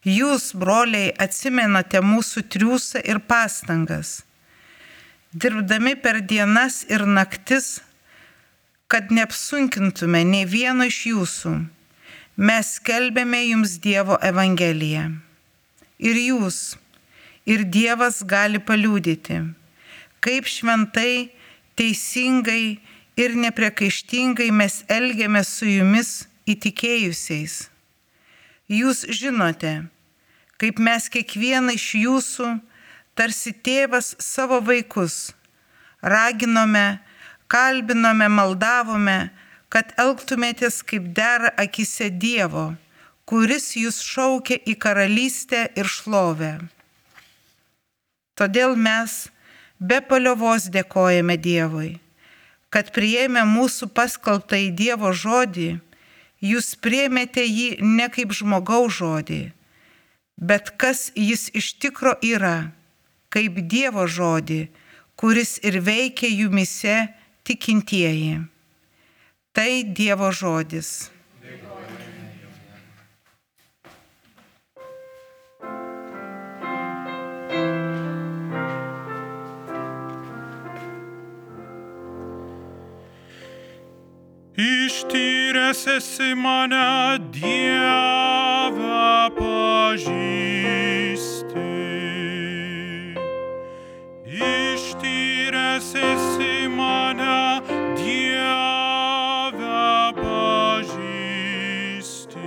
Jūs, broliai, atsimenate mūsų triūsą ir pastangas, dirbdami per dienas ir naktis, kad neapsunkintume nei vieno iš jūsų. Mes skelbėme jums Dievo evangeliją. Ir jūs, ir Dievas gali paliudyti, kaip šventai, teisingai ir nepriekaištingai mes elgiamės su jumis įtikėjusiais. Jūs žinote, kaip mes kiekvieną iš jūsų, tarsi tėvas savo vaikus, raginome, kalbinome, maldavome, kad elgtumėtės kaip dera akyse Dievo, kuris jūs šaukia į karalystę ir šlovę. Todėl mes be paliovos dėkojame Dievui, kad priėmę mūsų paskelbtą į Dievo žodį, jūs priėmėte jį ne kaip žmogaus žodį, bet kas jis iš tikro yra, kaip Dievo žodį, kuris ir veikia jumise tikintieji. Tai Dievo žodis. Ištyręs esi mane, Dieve, pažįsti. Ištyręs esi mane, Dieve, pažįsti.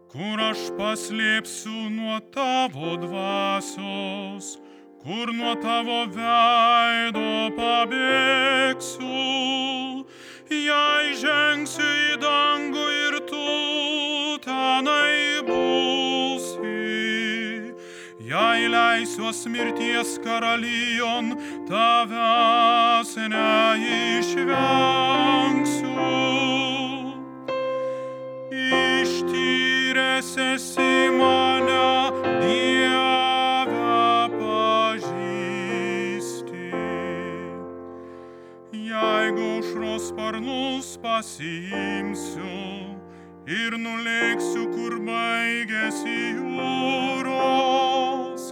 Kur aš paslėpsiu nuo tavo dvasios, kur nuo tavo veido pabėgsiu. Jei žengsiu į dangų ir tu tenai būsi, jei leisiuos mirties karalijon, tavęs neišvengsiu. Ištyręs esi mane, Dieve, pažįsti. Jeigu aušros sparnus pasiimsiu ir nulėksiu, kur baigėsi jūros,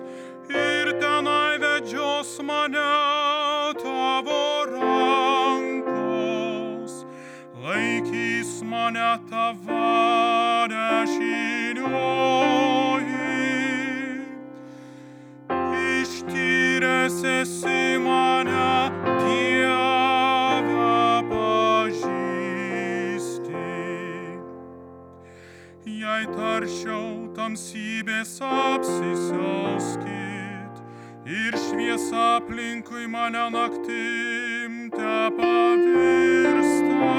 ir tenai vedžios mane tavo rankos, laikys mane tavo dešinioji. Ištyręs esi mane, Dieve, pažįsti. Jei tarčiau tamsybės apsisiauskit ir šviesa aplinkui mane naktim tepavirsta,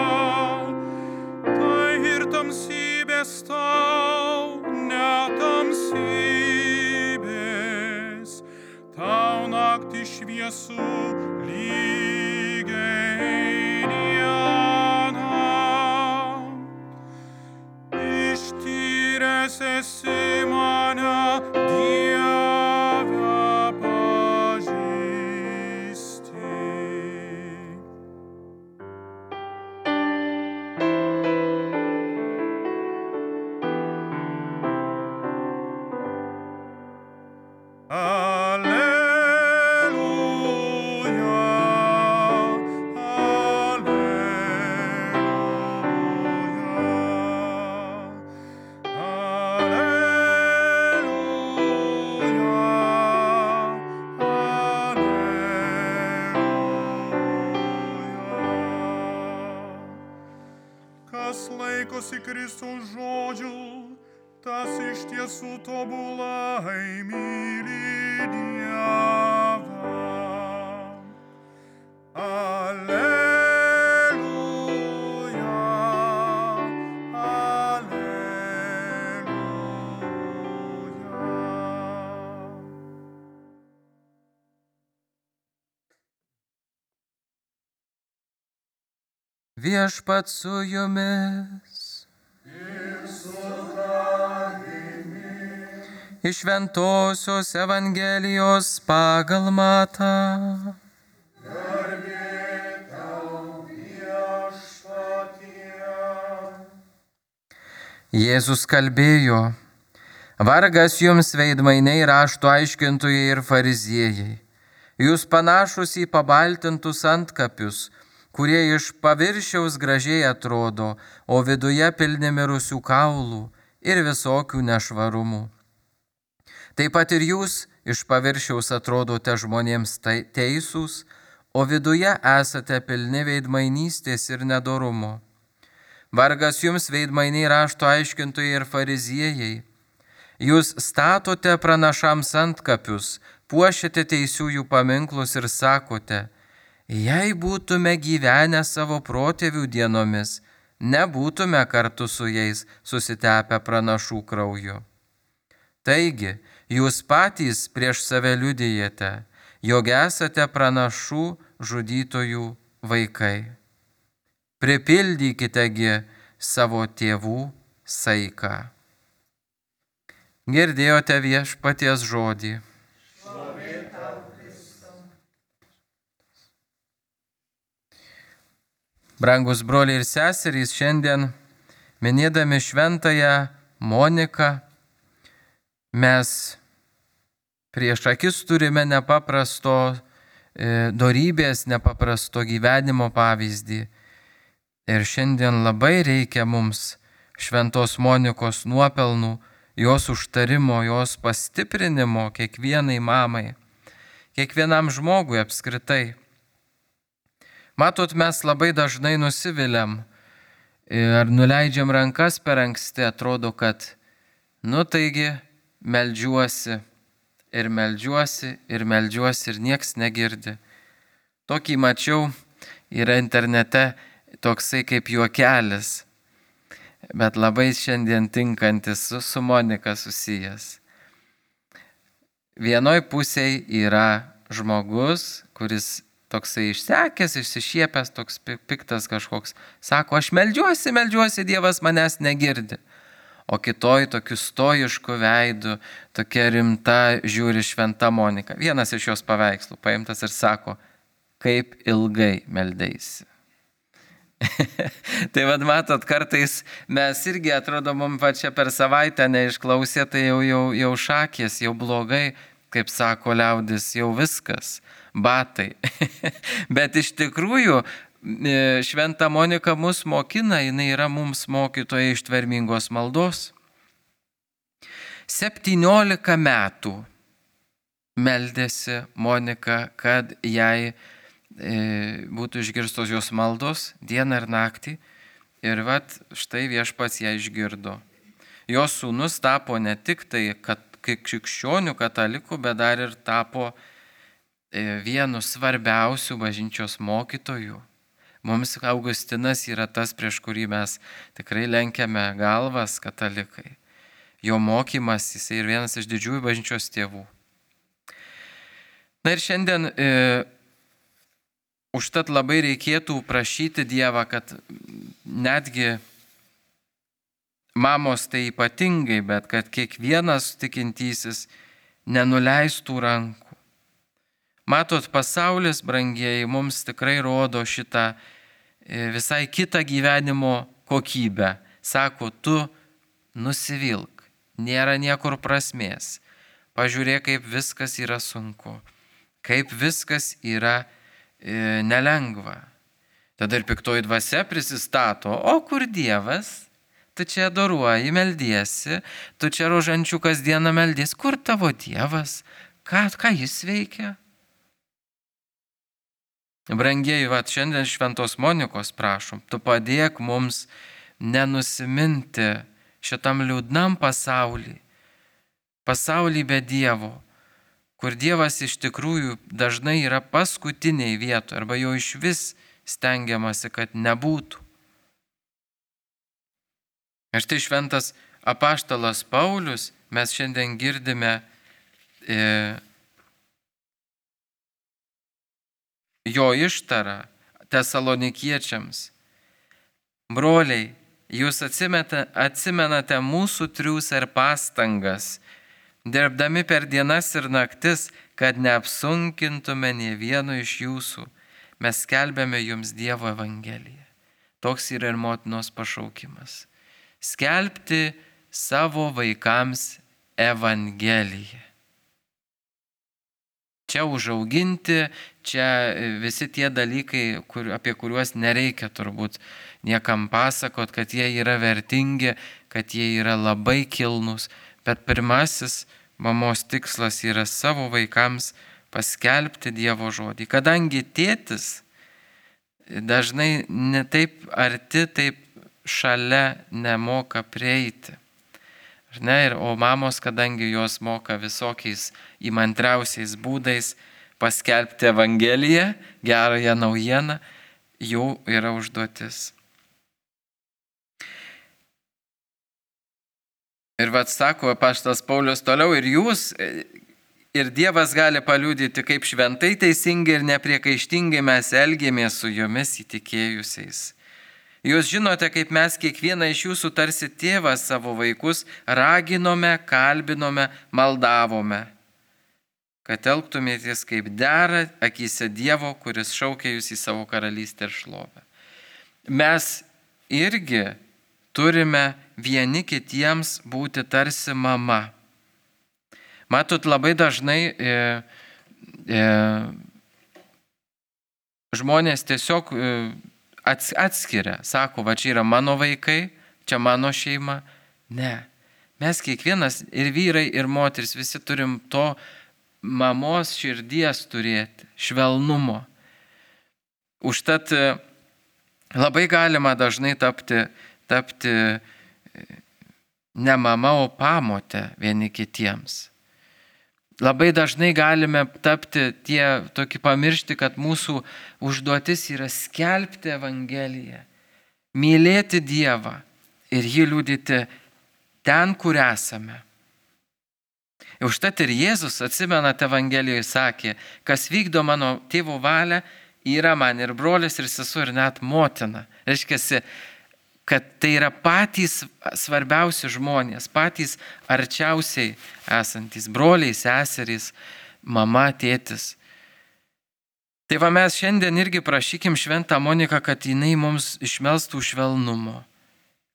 tai ir tamsybės tau netamsybės, tau naktį šviesų lygiai dieną. Ištyręs esi mane, Dieve, pažįsti. Kas laikosi Kristaus žodžių, tas iš tiesų tobulai myli Dievą. Alleluja, alleluja. Viešpat su jumis. Iš Šventosios Evangelijos pagal Matą. Garbė tau, Viešpatie. Jėzus kalbėjo, Vargas jums, veidmainiai, rašto aiškintojai ir fariziejai. Jūs panašus į pabaltintus antkapius, kurie iš paviršiaus gražiai atrodo, o viduje pilni mirusių kaulų ir visokių nešvarumų. Taip pat ir jūs iš paviršiaus atrodote žmonėms teisūs, o viduje esate pilni veidmainystės ir nedorumo. Vargas jums, veidmainiai, rašto aiškintojai ir fariziejai. Jūs statote pranašams antkapius, puošiate teisiųjų paminklus ir sakote, jei būtume gyvenę savo protėvių dienomis, nebūtume kartu su jais susitepę pranašų krauju. Taigi, jūs patys prieš save liudijate, jog esate pranašų žudytojų vaikai. Pripildykitegi savo tėvų saiką. Girdėjote Viešpaties žodį. Brangus broliai ir seserys, šiandien minėdami šventąją Moniką, mes prieš akis turime nepaprasto dorybės, nepaprasto gyvenimo pavyzdį. Ir šiandien labai reikia mums šventos Monikos nuopelnų, jos užtarimo, jos pastiprinimo kiekvienai mamai, kiekvienam žmogui apskritai. Matot, mes labai dažnai nusiviliam ar nuleidžiam rankas per anksti, atrodo, kad, taigi, meldžiuosi ir nieks negirdi. Tokį mačiau, yra internete toksai kaip juokelis, bet labai šiandien tinkantis su Monika susijęs. Vienoj pusėje yra žmogus, kuris toksai išsekęs, išsišiepęs, toks piktas kažkoks, sako, aš meldžiuosi, Dievas manęs negirdi. O kitoj tokiu stoišku veidu, tokia rimta žiūri šventa Monika. Vienas iš jos paveikslų paimtas ir sako, kaip ilgai meldeisi. Tai matot, kartais mes irgi atrodo, mums pačia per savaitę neišklausė, tai jau šakės, jau blogai, kaip sako liaudis, jau viskas, batai. Bet iš tikrųjų, šventa Monika mus mokina, jinai yra mums mokytoja ištvermingos maldos. 17 metų meldėsi Monika, kad jai būtų išgirstos jos maldos dieną ir naktį. Ir štai Viešpats ją išgirdo. Jos sūnus tapo ne tik tai krikščionių katalikų, bet dar ir tapo vienu svarbiausių bažnyčios mokytojų. Mums Augustinas yra tas, prieš kurį mes tikrai lenkiame galvas katalikai. Jo mokymas, jisai ir vienas iš didžiųjų bažnyčios tėvų. Na ir šiandien užtat labai reikėtų prašyti Dievą, kad netgi mamos tai ypatingai, bet kad kiekvienas tikintysis nenuleistų rankų. Matot, pasaulis, brangieji, mums tikrai rodo šitą visai kitą gyvenimo kokybę. Sako, tu nusivilk, nėra niekur prasmės. Pažiūrėk, kaip viskas yra sunku, kaip viskas yra nelengva. Tada ir piktoji dvasia prisistato, o kur Dievas? Tu čia adoruoji, meldiesi, tu čia rožančių kasdieną meldies, kur tavo Dievas? Ką jis veikia? Brangieji, šiandien šventos Monikos prašom, tu padėk mums nenusiminti šitam liūdnam pasaulį be Dievo, kur Dievas iš tikrųjų dažnai yra paskutiniai vietoje, arba jo iš vis stengiamasi, kad nebūtų. Ir štai šventas apaštalas Paulius, mes šiandien girdime jo ištarą tesalonikiečiams. Broliai, jūs atsimenate mūsų triūsą ir pastangas, dirbdami per dienas ir naktis, kad neapsunkintume nė vieno iš jūsų. Mes skelbėme jums Dievo evangeliją. Toks yra ir motinos pašaukimas. Skelbti savo vaikams Evangelija. Čia užauginti, čia visi tie dalykai, apie kuriuos nereikia turbūt niekam pasakot, kad jie yra vertingi, kad jie yra labai kilnūs. Bet pirmasis mamos tikslas yra savo vaikams paskelbti Dievo žodį. Kadangi tėtis dažnai ne taip arti, taip šalia nemoka prieiti. O mamos, kadangi jos moka visokiais įmantriausiais būdais paskelbti Evangeliją, gerąją naujieną, jų yra užduotis. Ir sako apaštalas Paulius toliau, ir jūs, ir Dievas gali paliudyti, kaip šventai, teisingai ir nepriekaištingai mes elgėmės su jumis įtikėjusiais. Jūs žinote, kaip mes kiekvieną iš jūsų tarsi tėvas savo vaikus raginome, kalbinome, maldavome, kad elgtumėtės kaip dera akyse Dievo, kuris šaukia jūs į savo karalystę ir šlovę. Mes irgi turime vieni kitiems būti tarsi mama. Matot, labai dažnai žmonės tiesiog atskiria, sako, va čia yra mano vaikai, čia mano šeima. Ne, mes kiekvienas ir vyrai, ir moteris visi turim to mamos širdies turėti, švelnumo. Užtat labai galima dažnai tapti ne mama, o pamotė vieni kitiems. Labai dažnai galime tapti pamiršti, kad mūsų užduotis yra skelbti Evangeliją, mylėti Dievą ir jį liudyti ten, kur esame. Užtat ir Jėzus, atsimenate, Evangelijoje sakė, kas vykdo mano tėvo valią, yra man ir brolis, ir sesuo, ir net motina. Reiškia, kad tai yra patys svarbiausi žmonės, patys arčiausiai esantys, broliai, seserys, mama, tėtis. Tai mes šiandien irgi prašykim Šventą Moniką, kad jinai mums išmelstų švelnumo,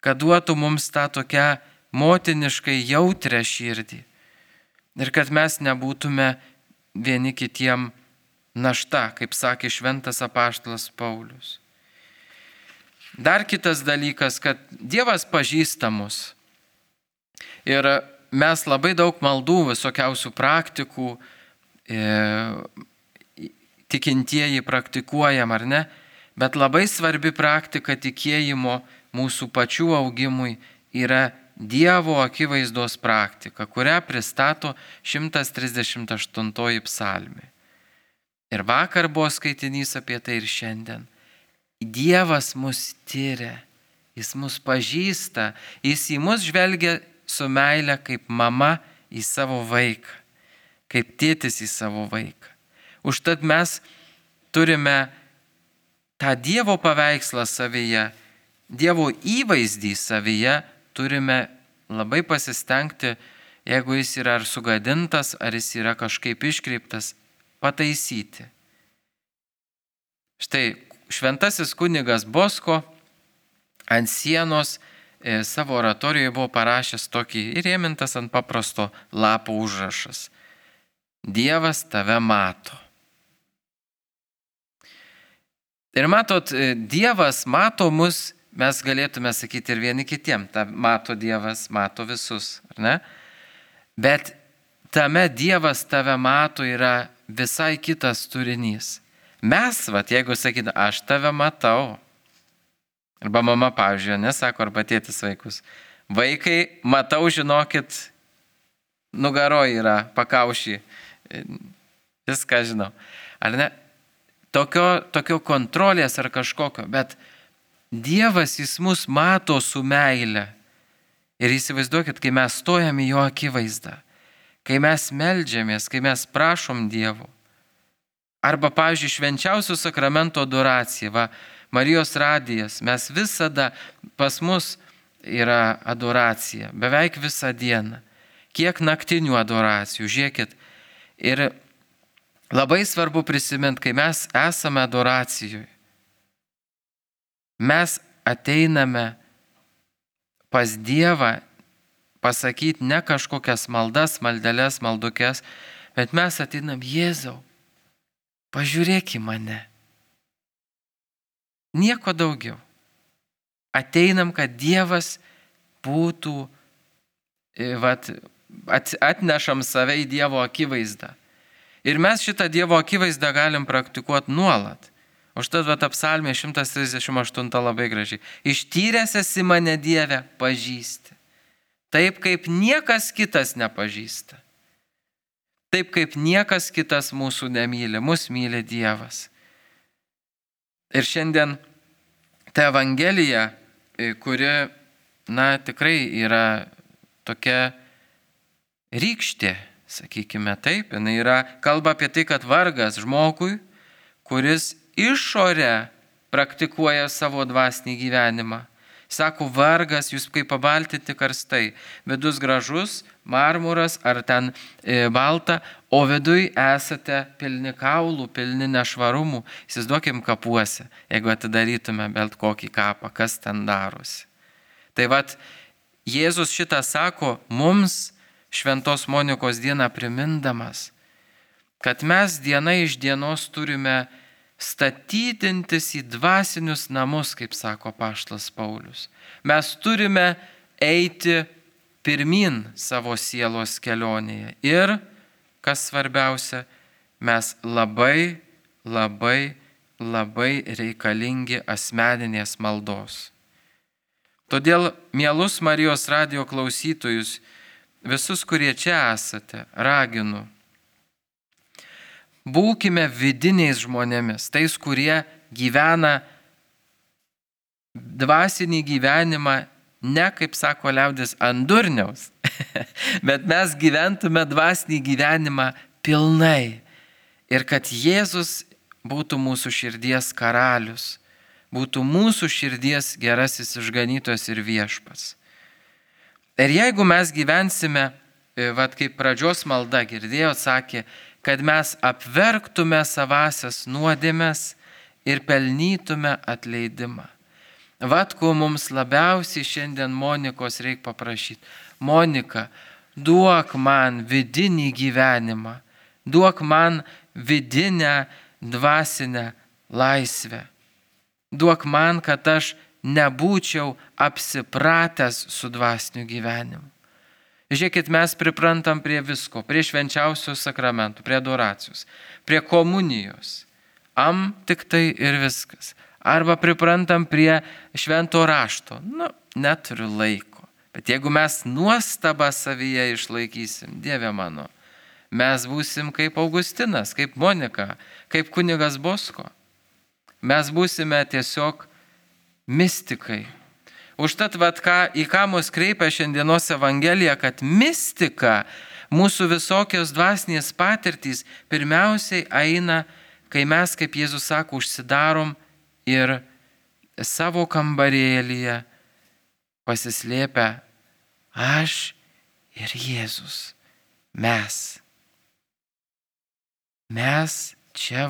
kad duotų mums tą tokią motiniškai jautrią širdį ir kad mes nebūtume vieni kitiem našta, kaip sakė šventas apaštalas Paulius. Dar kitas dalykas, kad Dievas pažįsta mus. Ir mes labai daug maldų, visokiausių praktikų, tikintieji praktikuojam, ar ne? Bet labai svarbi praktika tikėjimo mūsų pačių augimui yra Dievo akivaizdos praktika, kurią pristato 138 psalmė. Ir vakar buvo skaitinys apie tai ir šiandien. Dievas mus tyria, jis mus pažįsta, jis į mus žvelgia su meile kaip mama į savo vaiką, kaip tėtis į savo vaiką. Užtat mes turime tą Dievo paveikslą savyje, Dievo įvaizdį savyje, turime labai pasistengti, jeigu jis yra ar sugadintas, ar jis yra kažkaip iškreiptas, pataisyti. Štai šventasis kunigas Bosko ant sienos savo oratorijoje buvo parašęs tokį įrėmintas ant paprasto lapo užrašas. Dievas tave mato. Ir matot, Dievas mato mus, mes galėtume sakyti ir vieni kitiem. Mato Dievas, mato visus, ar ne? Bet tame Dievas tave mato yra visai kitas turinys. Mes, jeigu sakytume, aš tave matau, arba mama, pavyzdžiui, nesako, arba tėtis vaikus, vaikai, matau, žinokit, nugaroj yra pakaušį, viską žinau. Ar ne? Tokio kontrolės ar kažkokio, bet Dievas, jis mus mato su meile. Ir įsivaizduokit, kai mes stojame į jo akivaizdą, kai mes meldžiamės, kai mes prašom Dievo. Arba, pavyzdžiui, švenčiausio sakramento adoracija, Marijos radijas, mes visada, pas mus yra adoracija, beveik visą dieną. Kiek naktinių adoracijų, žiūrėkit. Ir labai svarbu prisiminti, kai mes esame adoracijoje, mes ateiname pas Dievą pasakyti ne kažkokias maldas, maldeles, maldukes, bet mes ateinam, Jėzau, pažiūrėk į mane. Nieko daugiau. Ateinam, kad Dievas būtų, atnešam save į Dievo akivaizdą. Ir mes šitą Dievo akivaizdą galim praktikuoti nuolat. Užtat psalmė 138 labai gražiai. Ištyręs esi mane, Dieve, pažįsti. Taip kaip niekas kitas nepažįsta. Taip kaip niekas kitas mūsų nemyli. Mus myli Dievas. Ir šiandien ta Evangelija, kuri, tikrai yra tokia rykštė, sakykime taip, jinai kalba apie tai, kad vargas žmogui, kuris išorę praktikuoja savo dvasinį gyvenimą. Sako, vargas, jūs kaip pabaltinti karstai, vidus gražus, marmuras ar ten balta, o viduj esate pilni kaulų, pilni nešvarumų. Įsivaizduokim kapuose, jeigu atidarytume bet kokį kapą, kas ten darosi. Tai Jėzus šitą sako mums Šventos Monikos dieną primindamas, kad mes diena iš dienos turime statydintis į dvasinius namus, kaip sako apaštalas Paulius. Mes turime eiti pirmin savo sielos kelionėje. Ir, kas svarbiausia, mes labai, labai, labai reikalingi asmeninės maldos. Todėl, mielus Marijos radijo klausytojus, visus, kurie čia esate, raginu, būkime vidiniais žmonėmis, tais, kurie gyvena dvasinį gyvenimą, ne, kaip sako liaudis, ant durniaus, bet mes gyventume dvasinį gyvenimą pilnai. Ir kad Jėzus būtų mūsų širdies karalius, būtų mūsų širdies gerasis išganytojas ir viešpats. Ir jeigu mes gyvensime, kaip pradžios malda girdėjo, sakė, kad mes apverktume savasias nuodėmes ir pelnytume atleidimą. Ko mums labiausiai šiandien Monikos reikia paprašyti. Monika, duok man vidinį gyvenimą, duok man vidinę dvasinę laisvę. Duok man, kad aš nebūčiau apsipratęs su dvasiniu gyvenimu. Žiūrėkit, mes priprantam prie visko, prie švenčiausių sakramentų, prie adoracijos, prie komunijos. Tik tai ir viskas. Arba priprantam prie švento rašto. Neturiu laiko. Bet jeigu mes nuostabą savyje išlaikysim, Dieve mano, mes būsim kaip Augustinas, kaip Monika, kaip kunigas Bosko. Mes būsime tiesiog mistikai. Užtat, į ką mus kreipia šiandienos Evangelija, kad mistika, mūsų visokios dvasinės patirtys, pirmiausiai eina, kai mes, kaip Jėzus sako, užsidarom ir savo kambarėlyje pasislėpę aš ir Jėzus. Mes čia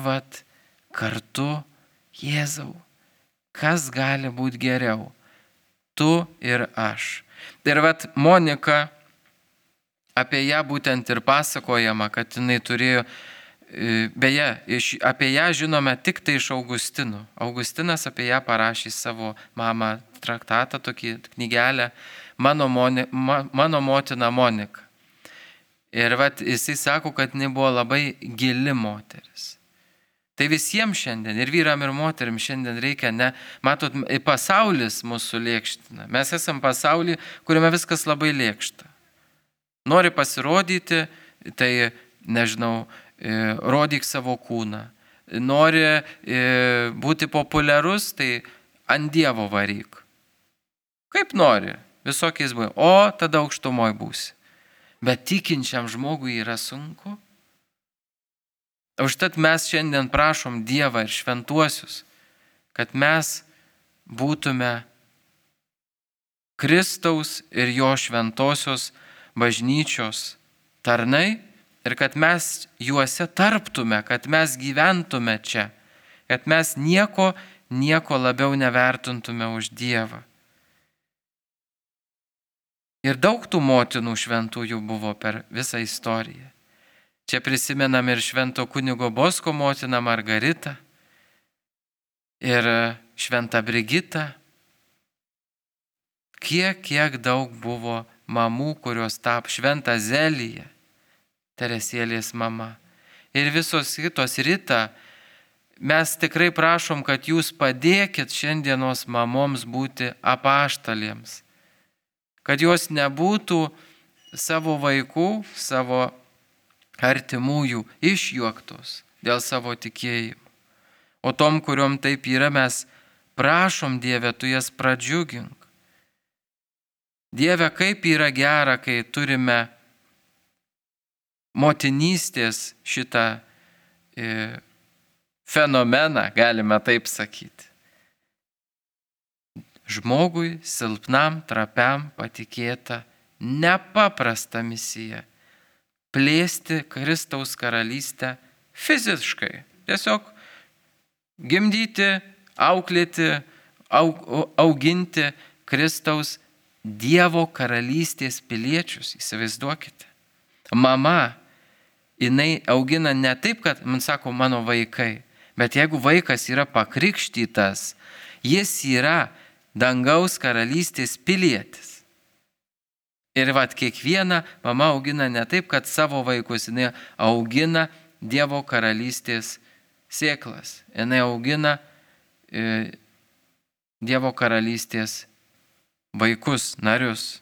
kartu, Jėzau, kas gali būti geriau? Tu ir aš. Ir Monika, apie ją būtent ir pasakojama, kad jinai turėjo, beje, apie ją žinome tik tai iš Augustinų. Augustinas apie ją parašė savo mamą traktatą, tokį knygelę, mano motina Monika. Ir jisai sako, kad jinai buvo labai gili moteris. Tai visiems šiandien, ir vyram, ir moterim šiandien reikia, matot, pasaulis mūsų lėkština. Mes esam pasaulį, kuriame viskas labai lėkšta. Nori pasirodyti, tai, rodyk savo kūną. Nori būti populiarus, tai ant Dievo varyk. Kaip nori, visokiais būdais. O tada aukštumoj būsi. Bet tikinčiam žmogui yra sunku. Užtat mes šiandien prašom Dievą ir šventuosius, kad mes būtume Kristaus ir jo šventosios bažnyčios tarnai ir kad mes juose tarptume, kad mes gyventume čia, kad mes nieko labiau nevertintume už Dievą. Ir daug tų motinų šventųjų buvo per visą istoriją. Čia prisimenam ir švento kunigo Bosko motiną Margaritą ir šventą Brigitą. Kiek daug buvo mamų, kurios tapo šventą Zeliją, Teresėlės mama. Ir visos kitos Rita, mes tikrai prašom, kad jūs padėkit šiandienos mamoms būti apaštalėms. Kad jos nebūtų savo vaikų, savo artimųjų išjuoktos dėl savo tikėjimo. O tom, kuriuom taip yra, mes prašom, Dieve, tu jas pradžiugink. Dieve, kaip yra gera, kai turime motinystės šitą fenomeną, galime taip sakyti. Žmogui silpnam, trapiam patikėta nepaprasta misija – plėsti Kristaus karalystę fiziškai. Tiesiog gimdyti, auklėti, auginti Kristaus Dievo karalystės piliečius. Įsivaizduokite. Mama, jinai augina ne taip, kad, man sako, mano vaikai, bet jeigu vaikas yra pakrikštytas, jis yra dangaus karalystės pilietis. Ir kiekviena mama augina ne taip, kad savo vaikus, jinai augina Dievo karalystės sėklas. Jinai augina Dievo karalystės vaikus, narius.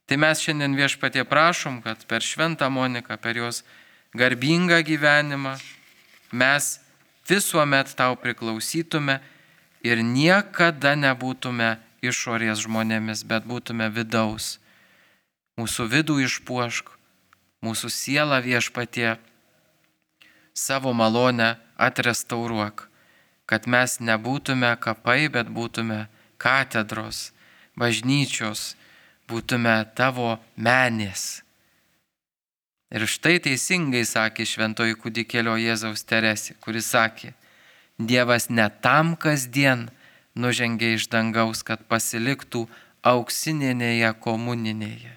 Tai mes šiandien Viešpatie prašom, kad per šventą Moniką, per jos garbingą gyvenimą mes visuomet tau priklausytume ir niekada nebūtume išorės žmonėmis, bet būtume vidaus. Mūsų vidų išpuošk, mūsų sielą Viešpatie savo malonę atrestauruok, kad mes nebūtume kapai, bet būtume katedros, bažnyčios, būtume tavo menės. Ir štai teisingai sakė šventoji kūdikėlio Jėzaus Teresė, kuris sakė, Dievas ne tam kasdien nužengė iš dangaus, kad pasiliktų auksinėje komuninėje.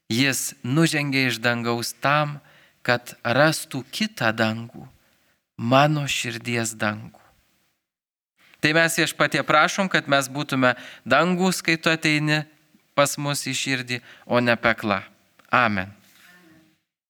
Jis nužengė iš dangaus tam, kad rastų kitą dangų, mano širdies dangų. Tai mes Viešpatie prašom, kad mes būtume dangus, kai tu ateini pas mus į širdį, o ne pekla. Amen.